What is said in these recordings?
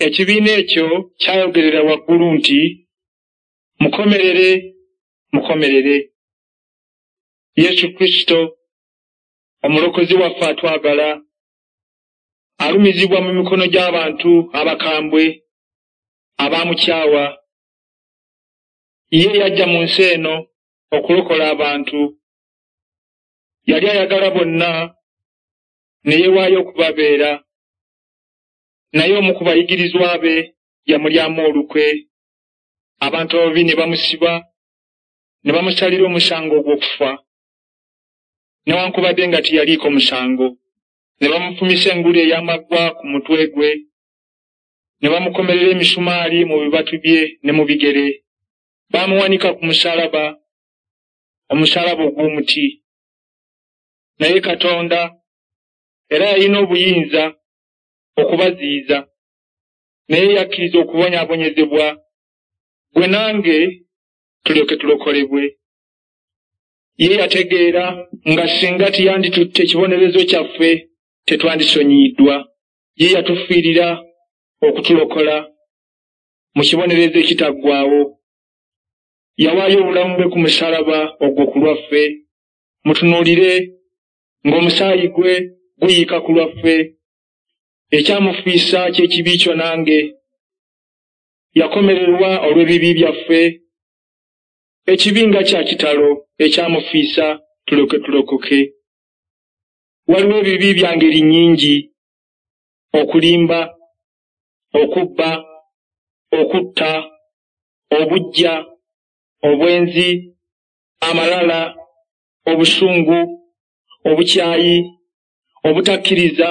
Ekibiina ekyo kyayogerera waggulu nti, Mukomerere, mukomerere. Yesu Kristo, Omulokozi waffe atwagala, alumizibwa mu mikono gy'abantu abakambwe abaamukyawa. Ye yajja mu nsi eno okulokola abantu. Yali ayagala bonna ne yeewaayo okubabeera. Naye omu ku bayigirizwa be yamulyamu olukwe, abantu ababi ne bamusiba ne bamusalira omusango ogw'okufa, newankubadde nga teyaliiko musango. Ne bamufumisa engule ey'amaggwa ku mutwe gwe, ne bamukomerera emisumaali mu bibatu bye ne mu bigere. Baamuwanika ku musaalaba, omusaalaba ogw'omuti. Naye Katonda era yalina obuyinza okubaziyiza, naye yakkiriza okubonyaabonyezebwa, ggwe nange tulyoke tulokolebwe. Ye yategeera nga singa teyanditutte kibonerezo kyaffe tetwandisonyiyiddwa. Ye yatufiirira okutulokola mu kibonerezo ekitaggwaawo. Yawaayo obulamu bwe ku musaalaba ogwo ku lwaffe. Mutunuulire ng'omusaayi gwe guyiika ku lwaffe. Ekyamufiisa ky'ekibi kyo nange. Yakomererwa olw'ebibi byaffe. Ekibi nga kya kitalo ekyamufiisa tulyoke tulokoke. Waliwo ebibi bya ngeri nnyingi: okulimba, okubba, okutta, obuggya, obwenzi, amalala, obusungu, obukyayi, obutakkiriza.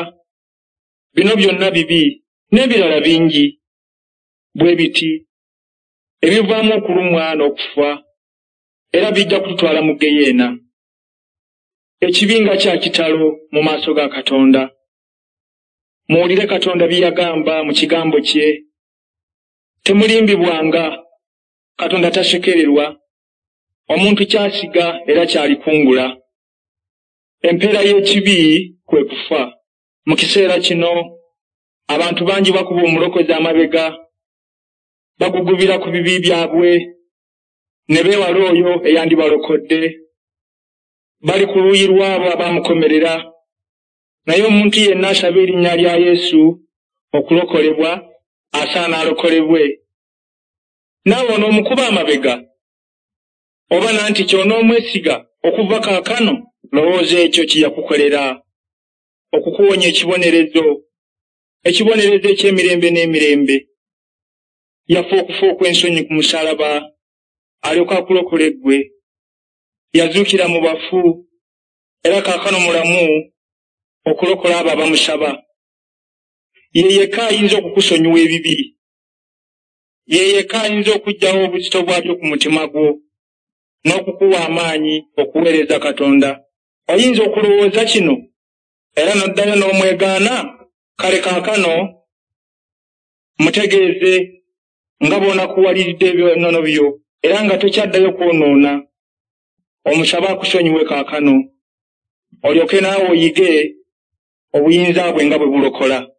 Bino byonna bibi n'ebirala bingi bwe biti ebivaamu okulumwa n'okufa era bijja kututwala mu ggeyeena. Ekibi nga kya kitalo mu maaso ga Katonda! Muwulire Katonda bye yagamba mu kigambo kye, Temulimbibwanga, Katonda tasekererwa. Omuntu ky'asiga era ky'alikungula. Empeera y'ekibi kwe kufa. Mu kiseera kino abantu bangi bakuba Omulokozi amabega, bagugubira ku bibi byabwe ne beewala oyo eyandibalokodde. Bali ku luuyi lw'abo abaamukomerera. Naye omuntu yenna asaba erinnya lya Yesu okulokolebwa asaana alokolebwe. Naawe onoomukuba amabega? Oba nantiki onoomwesiga okuva kaakano? Lowooza ekyo kye yakukolera okukuwonya ekibonerezo, ekibonerezo eky'emirembe n'emirembe. Yafa okufa okw'ensonyi ku musaalaba alyoke akulokole ggwe. Yazuukira mu bafu era kaakano mulamu okulokola abo abamusaba. Ye yekka ayinza okukusonyiwa ebibi. Ye yekka ayinza okuggyawo obuzito bwabyo ku mutima gwo n'okukuwa amaanyi okuweereza Katonda. Oyinza okulowooza kino era n'oddayo n'omwegaana? Kale kaakano mutegeeze nga bw'onakuwaliridde ebyonoono byo era nga tokyaddayo kwonoona. Omusabe akusonyiwe kaakano, olyoke naawe oyige obuyinza bwe nga bwe bulokola.